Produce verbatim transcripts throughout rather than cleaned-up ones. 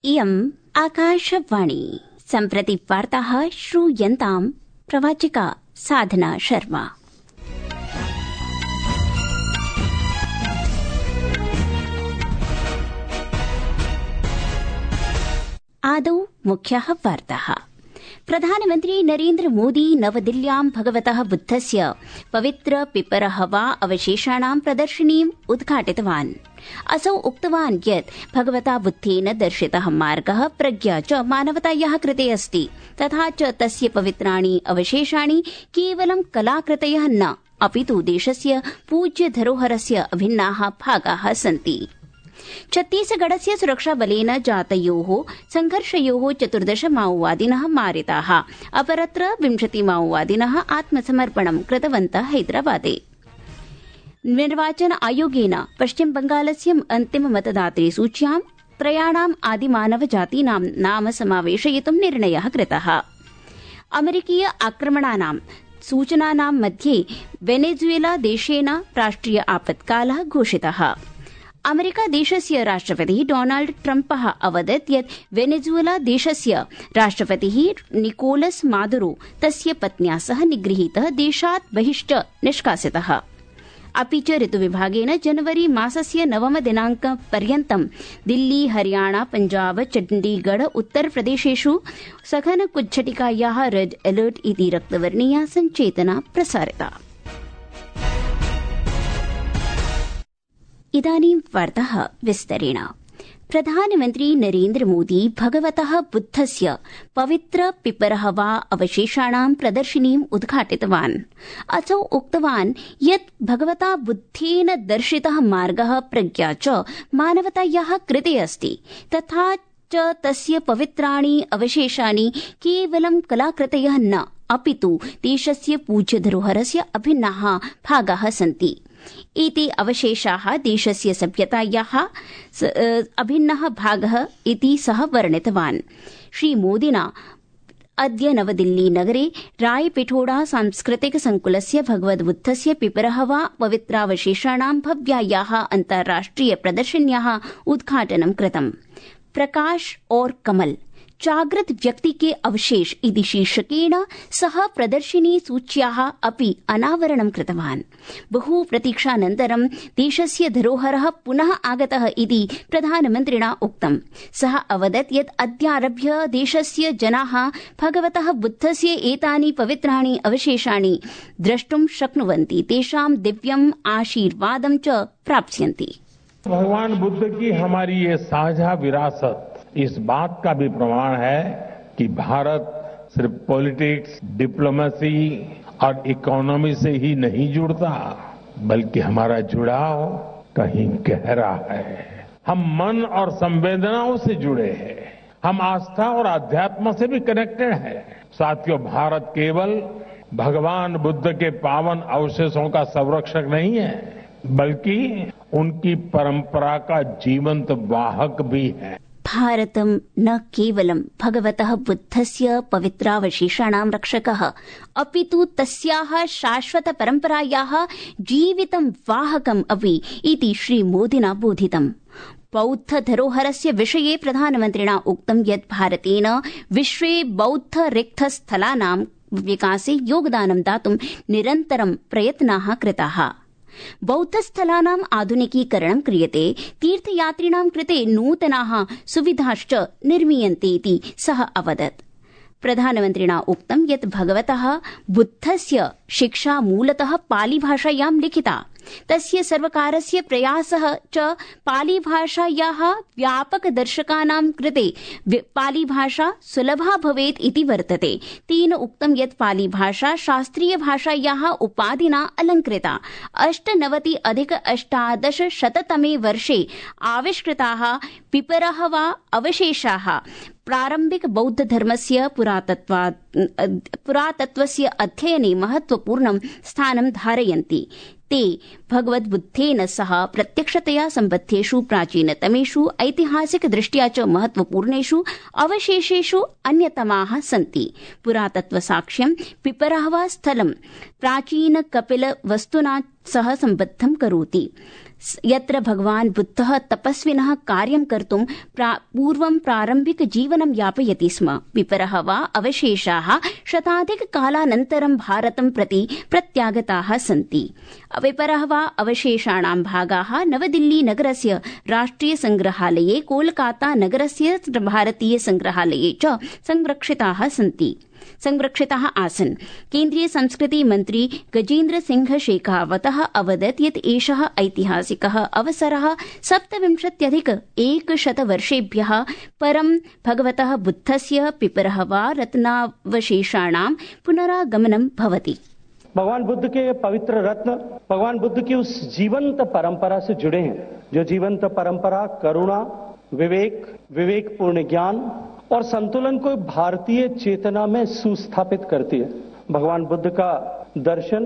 इयम् आकाशवाणी। सम्प्रति वार्ताः श्रूयन्ताम् प्रवाचिका साधना शर्मा। आदौ मुख्याः वार्ताः। प्रधानमन्त्री नरेन्द्र मोदी नवदिल्ल्यां भगवतः बुद्धस्य पवित्र पिपरहवा अवशेषाणां प्रदर्शनीम् उद्घाटितवान्। असौ उक्तवान् यत् भगवता बुद्धेन दर्शितः मार्गः प्रज्ञा च मानवतायाः कृते अस्ति, तथा च तस्य पवित्राणि अवशेषाणि केवलं कलाकृतयः न, अपितु देशस्य पूज्य धरोहरस्य अभिन्नाः भागाः सन्ति। छत्तीसगढ़स्य सुरक्षाबलेन जातयोः संघर्षयोः चतुर्दश माओवादिनः मारिताः, अपरत्र विंशति माओवादिनः आत्मसमर्पणं कृतवन्तः हैदराबादे। निर्वाचन आयोगेन पश्चिम बंगालस्य अन्तिम मतदातृ सूच्यां त्रयाणाम् आदिमानव जातीनां नाम समावेशयितुं निर्णयः कृतः। अमेरिकीय आक्रमणानां सूचनानां मध्ये वेनेजुएला देशेन राष्ट्रिय आपत्कालः घोषितः। अमेरिका देशस्य राष्ट्रपतिः डोनाल्ड ट्रम्पः अवदत् यत् वेनेजुएला देशस्य राष्ट्रपतिः निकोलस मादुरो तस्य पत्न्या सह निगृहीतः देशात् बहिश्च निष्कासितः। अपि च ऋतुविभागेन जनवरी मासस्य नवम दिनाङ्कपर्यन्तं दिल्ली, हरियाणा, पञ्जाब, चण्डीगढ़, उत्तरप्रदेशेषु सघन कुज्झटिकायाः रेड अलर्ट इति रक्तवर्णीया सञ्चेतना प्रसारिता। इदानीं वार्ताः विस्तरेण। प्रधानमन्त्री नरेन्द्र मोदी भगवतः बुद्धस्य पवित्र पिपरहवा अवशेषाणां प्रदर्शनीम् उद्घाटितवान्। असौ उक्तवान् यत् भगवता बुद्धेन दर्शितः मार्गः प्रज्ञा च मानवतायाः कृते अस्ति, तथा च तस्य पवित्राणि अवशेषाणि केवलं कलाकृतयः न, अपितु देशस्य पूज्य धरोहरस्य अभिन्नाः भागाः सन्ति। एते अवशेषाः देशस्य सभ्यतायाः अभिन्नः भागः इति सः वर्णितवान्। श्रीमोदिना अद्य नवदिल्ली नगरे रायपिठोड़ा सांस्कृतिक संकुलस्य भगवद्बुद्धस्य पिपरहवा पवित्रावशेषाणां भव्यायाः अन्ताराष्ट्रिय प्रदर्शन्याः उद्घाटनं कृतम्। प्रकाश और कमल जागृत व्यक्ति के अवशेष इति शीर्षकेण सः प्रदर्शिनी सूच्याः अपि अनावरणं कृतवान्। बहु प्रतीक्षानन्तरं देशस्य धरोहरः पुनः आगतः इति प्रधानमन्त्रिणा उक्तम्। सः अवदत् यत् अद्यारभ्य देशस्य जनाः भगवतः बुद्धस्य एतानि पवित्राणि अवशेषाणि द्रष्टुं शक्नुवन्ति, तेषां दिव्यम् आशीर्वादं च प्राप्स्यन्ति। भगवान बुद्ध की हमारी ये साझा विरासत इस बात का भी प्रमाण है कि भारत सिर्फ पॉलिटिक्स, डिप्लोमेसी और इकोनॉमी से ही नहीं जुड़ता, बल्कि हमारा जुड़ाव कहीं गहरा है। हम मन और संवेदनाओं से जुड़े हैं, हम आस्था और अध्यात्म से भी कनेक्टेड हैं। साथियों, भारत केवल भगवान बुद्ध के पावन अवशेषों का संरक्षक नहीं है, बल्कि उनकी परंपरा का जीवंत वाहक भी है। भारतं न केवलं भगवतः बुद्धस्य पवित्रावशेषाणां रक्षकः, अपितु तस्याः शाश्वत परम्परायाः जीवितं वाहकम् अपि इति श्रीमोदिना बोधितम्। बौद्ध धरोहरस्य विषये प्रधानमन्त्रिणा उक्तं यत् भारतेन विश्वे बौद्ध रिक्तस्थलानां विकासे योगदानं दातुं निरन्तरं प्रयत्नाः कृताः। बौद्धस्थलानाम् आधुनिकीकरणं क्रियते, तीर्थयात्रिणां कृते नूतनाः सुविधाश्च निर्मीयन्ते इति सः अवदत्। प्रधानमन्त्रिणा उक्तं यत् भगवतः बुद्धस्य शिक्षा मूलतः पालीभाषायां लिखिता। तस्य सर्वकारस्य प्रयासः च पालीभाषायाः व्यापकदर्शकानां कृते पालीभाषा सुलभा भवेत् इति वर्तते। तेन उक्तं यत् पालीभाषा शास्त्रीयभाषायाः उपाधिना अलङ्कृता। अष्टनवति अधिक अष्टादशशततमे वर्षे आविष्कृताः पिपरहवा अवशेषाः प्रारम्भिक बौद्धधर्मस्य पुरातत्त्वस्य अध्ययने महत्वपूर्णं स्थानं धारयन्ति। ते भगवद्बुद्धेन सह प्रत्यक्षतया सम्बद्धेषु प्राचीनतमेषु ऐतिहासिकदृष्ट्या च महत्वपूर्णेषु अवशेषेषु अन्यतमाः सन्ति। पुरातत्त्वसाक्ष्यं पिपरहवा स्थलं प्राचीनकपिलवस्तुना सह सम्बद्धं करोति। यत्र भगवान् बुद्धः तपस्विनः कार्यं कर्तुं पूर्वं प्रारम्भिक जीवनं यापयति स्म, विपरः वा अवशेषाः शताधिककालानन्तरं भारतं प्रति प्रत्यागताः सन्ति। विपरः वा अवशेषाणां भागाः नवदिल्ली नगरस्य राष्ट्रिय संग्रहालये, कोलकाता नगरस्य भारतीय संग्रहालये च संरक्षिताः सन्ति संरक्षिताः आसन्। केन्द्रीय संस्कृति मन्त्री गजेन्द्र सिंह शेखावतः अवदत् यत् एषः ऐतिहासिकः अवसरः सप्तविंशत्यधिक एकशतवर्षेभ्यः परं भगवतः बुद्धस्य पिपरः वा रत्नावशेषाणां पुनरागमनं भवति। भगवान बुद्ध के पवित्र रत्न भगवान बुद्ध की उस जीवंत परंपरा से जुड़े हैं, जो जीवंत परंपरा करुणा, विवेक, विवेकपूर्ण ज्ञान और संतुलन को भारतीय चेतना में सुस्थापित करती है। भगवान बुद्ध का दर्शन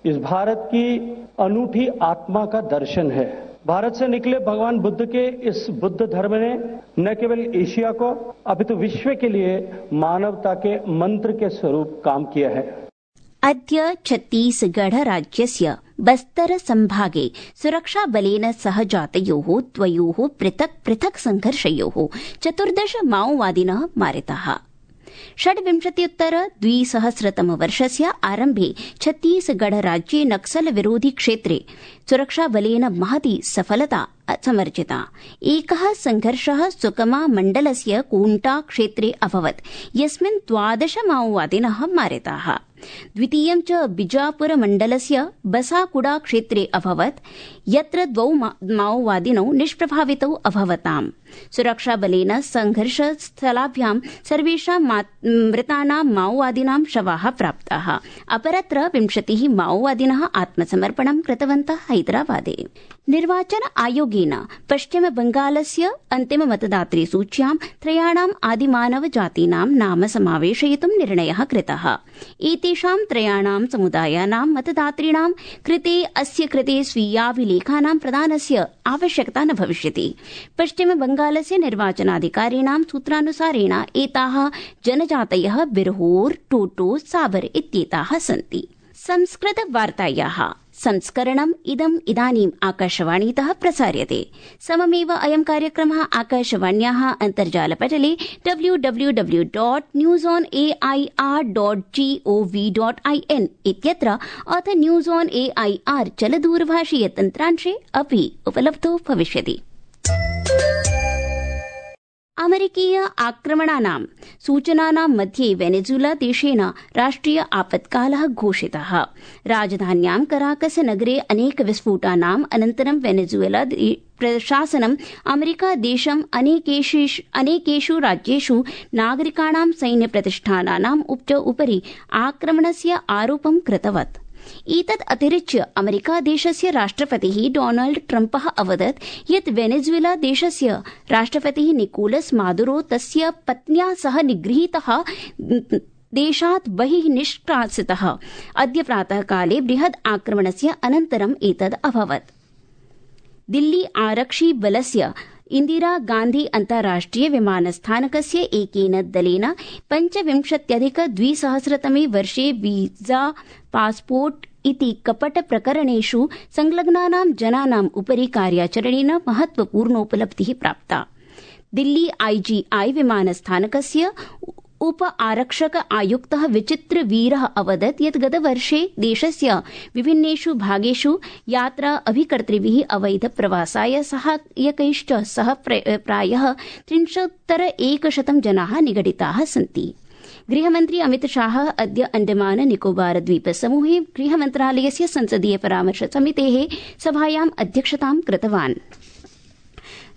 इस भारत की अनूठी आत्मा का दर्शन है। भारत से निकले भगवान बुद्ध के इस बुद्ध धर्म ने न केवल एशिया को अपितु विश्व के लिए मानवता के मंत्र के स्वरूप काम किया है। अद्य छत्तीसगढ़ राज्यस्य बस्तर संभागे सुरक्षाबलेन सह जातयोः द्वयोः पृथक् पृथक् संघर्षयोः चतुर्दश माओवादिनः मारिताः। षड्विंशत्युत्तर द्विसहस्रतमवर्षस्य आरम्भे छत्तीसगढ़ राज्ये नक्सल विरोधी क्षेत्रे सुरक्षाबलेन महती सफलता समर्जिता। एकः संघर्षः सुकमा मण्डलस्य कोण्टा क्षेत्रे अभवत्, यस्मिन् द्वादश माओवादिनः मारिताः। द्वितीयं च बिजापुर मण्डलस्य बसाकुडा क्षेत्रे अभवत्, यत्र द्वौ माओवादिनौ निष्प्रभावितौ अभवताम्। सुरक्षाबलेन संघर्षस्थलाभ्यां सर्वेषां मृतानां माओवादिनां शवाः प्राप्ताः। अपरत्र विंशतिः माओवादिनः आत्मसमर्पणं कृतवन्तः हैदराबादे। निर्वाचन आयोगेन पश्चिम बंगालस्य अन्तिम मतदातृ सूच्यां त्रयाणाम् आदिमानव जातीनां नाम समावेशयितुं निर्णयः कृतः। एतेषां त्रयाणां समुदायानां मतदातॄणां कृते अस्य कृते स्वीयाभिलेखानां प्रदानस्य आवश्यकता न भविष्यति। पश्चिम बंगालस्य निर्वाचनाधिकारिणां सूत्रानुसारेण एताः जनजातयः बिरहोर, टोटो, साबर इत्येताः सन्ति। संस्कृत वार्तायाः संस्करणम् इदम् इदानीम् आकाशवाणीतः प्रसार्यते। सममेव अयं कार्यक्रमः आकाशवाण्याः अन्तर्जालपटले W W W dot news on A I R dot G O V dot I N इत्यत्र अथ news on A I R चलदूरभाषीय तन्त्रांशे अपि उपलब्धो भविष्यति। अमेरिकीय आक्रमणानां सूचनानां मध्ये वेनेजुला देशेन राष्ट्रिय आपत्कालः घोषितः। राजधान्यां कराकस नगरे अनेक विस्फोटानाम् अनन्तरं वेनेजुएला प्रशासनम् अमेरिका देशम् अनेकेषु राज्येषु नागरिकाणां सैन्यप्रतिष्ठानानाम् उपरि आक्रमणस्य आरोपं कृतवत्। एतत् अतिरिच्य अमेरिका देशस्य राष्ट्रपतिः डोनाल्ड ट्रम्पः अवदत् यत् वेनेजुएला देशस्य राष्ट्रपतिः निकोलस मादुरो तस्य पत्न्या सह निगृहीतः देशात् बहिः निष्कासितः। अद्य प्रातःकाले बृहद् आक्रमणस्य अनन्तरम् एतद् अभवत्। दिल्ली आरक्षि बलस्य इंदिरा गांधी अन्ताराष्ट्रिय विमानस्थानकस्य एकेन दलेन पञ्चविंशत्यधिक द्विसहस्रतमे वर्षे वीजा पासपोर्ट इति कपट प्रकरणेषु संलग्नानां जनानाम् उपरि कार्याचरणेन महत्वपूर्णोपलब्धिः प्राप्ता। दिल्ली आईजीआई विमानस्थानकस्य उप आरक्षक आयुक्तः विचित्र वीरः अवदत् यत् गतवर्षे देशस्य विभिन्नेषु भागेषु यात्रा अभिकर्तृभिः अवैध प्रवासाय सहायकैश्च सह प्रायः त्रिंशत्तर एकशतं जनाः निगडिताः सन्ति। गृहमन्त्री अमित शाह अद्य अंडमान निकोबार द्वीप समूहे गृहमन्त्रालयस्य संसदीय परामर्श समितेः सभायाम् अध्यक्षतां कृतवान्।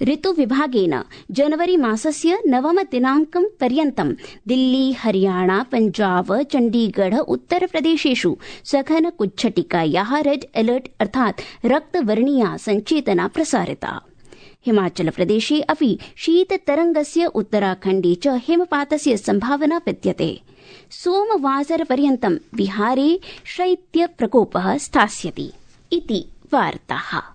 ऋतु विभागेन जनवरी मासस्य नवम दिनांकं पर्यन्तं दिल्ली, हरियाणा, पंजाब, चण्डीगढ़, उत्तरप्रदेशेषु सघन कुच्छटिकायाः रेड अलर्ट अर्थात् रक्तवर्णीया सञ्चेतना प्रसारिता। हिमाचलप्रदेशे अपि शीततरंगस्य, उत्तराखण्डे च हिमपातस्य संभावना विद्यते। सोमवासरपर्यन्तं बिहारे शैत्यप्रकोपः स्थास्यति इति वार्ताः।